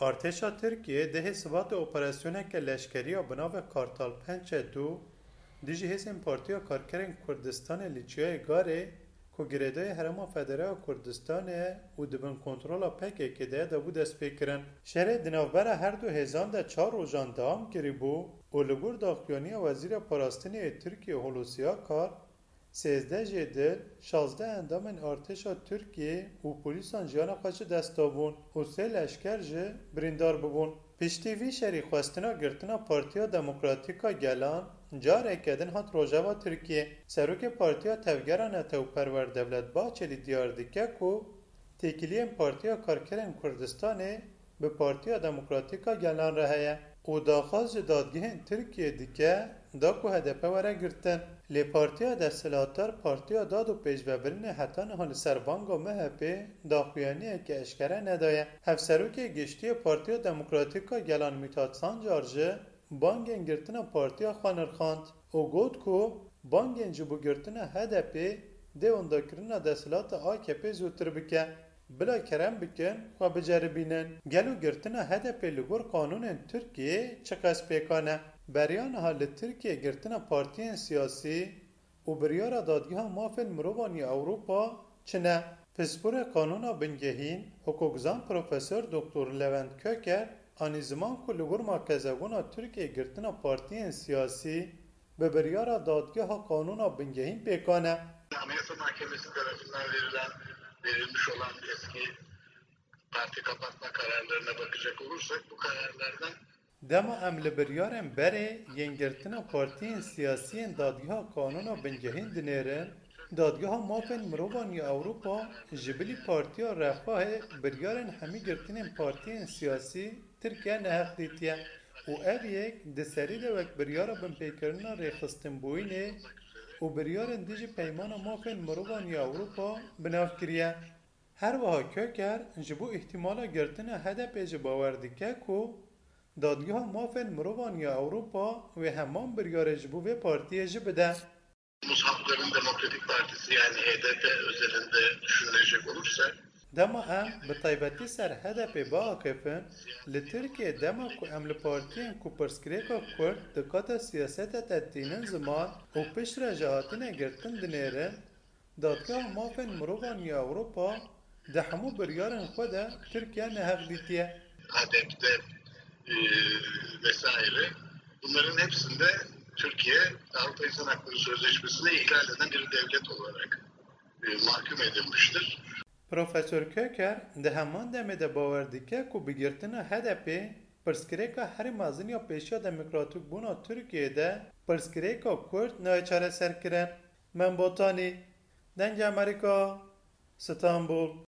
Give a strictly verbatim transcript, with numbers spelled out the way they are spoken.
Artêşa Tirkiyê dehê Sibatê operasyoneke leşkerî ya bi navê Kartal pênc û du dijî hêzên Partiya Karkerên Kurdistanê li Çiyayê Garê ku girêdayî Herêma Federe ya Kurdistanê ye û di bin kontrola P K K de ye, dabû destpêkirin. Şerê di navbera her du hêzan de çar rojan dewam kiribû û li gor daxuyaniya Wezîra Parastinê yê Tirkiyê Hulusi Akar, sêzdeh jê dil, şazdeh endamên artêşa Tirkiyê û polîsan jiyana xwe ji dest dabûn û sê leşker jî birîndar bibûn. Piştî vî şerî xwestina girtina Partiya Demokratîk a Gelan careke din hat rojeva Tirkiyê. Serokê Partiya Tevgera Netew Perwer Devlet Bahçelî diyar dike ku têkiliyên Partiya Karkerên Kurdistanê bi Partiya Demokratîk a Gelan re heye û daxwaz ji dadgehên Tirkiyê dike da ku H D P were girtin. Lê Partiya Desthilatdar Partiya Dad û Pêşvebirinê heta niha li ser banga M H Pê daxuyaniyeke eşkere nedaye. Hevserokê Giştî yê Partiya Demokratîk a Gelan Mîthat Sancar jî bangên girtina partiya xwe nirxand û got ku bangên ji bo girtina H D Pê dê wendakirina desthilata A K P zûtir bike. Bila kerem bikin, xwe biceribînin. Gelo girtina H D P li gor qanûnên Tirkiyê çiqas pêkan e? Beriya niha li Tirkiyê girtina partiyên siyasî û biryara Dadgeha Mafên Mirovan ya Ewropa çi ne? Pisporê Qanûna Bingehîn, hukukzan Profesor Doktor Levent Köker anî ziman ku li gor makezebûna Tirkiyê girtina partiyên siyasî bi biryara Dadgeha Qanûna Bingehîn pêkan e. Anayasa Mahkemesi tarafından verilen, verilmiş olan eski parti kapatma kararlarına bakacak olursak bu kararlardan Dema em li biryarên berê yên girtina partiyên siyasî yên Dadgeha Qanûna Bingehîn dinêrin, Dadgeha Mafên Mirovan ya Ewropa ji bilî Partiya Refahê biryarên hemî girtinên partiyên siyasî Tirkiye neheq dîtiye û ev yek di serî de wek biryara binpêkirina rêxistinbûyînê û biryarên dijî Peymana Mafên Mirovan ya Ewropa bi nav kiriye. Her wiha Köker ji bo îhtîmala girtina H D P jî bawer dike ku Dadgeha Mafên Mirovan ya Ewropa wê heman biryarê ji bo vê partiyê jî bide. Muz Halkların Demokratik Partisi, yani H D P özelinde düşünülecek olursa, Dema em bi taybetî ser H D P biaxifin, li Tirkiyê dema ku em li partiyên ku pirsgirêka Kurd di qada siyaseta de tînin ziman û piştre jî hatine girtin dinêrin, Dadgeha Mafên Mirovan ya Ewropa di hemû biryarên xwe de Tirkiye neheq dîtiye. H D P'de, e, vesaire. Bunların hepsinde Türkiye Avrupa İnsan Hakları Sözleşmesi'ni ihlal eden bir devlet olarak, e, mahkum edilmiştir. Profesor Köker di heman demê de bawer dike ku bi girtina H D P pirsgirêka herî mezin ya pêşiya demokratîkbûna Tirkiyeyê de pirsgirêka Kurd nayê çareserkirin. Mem Botanî, Dengê Amerîka, Stenbul.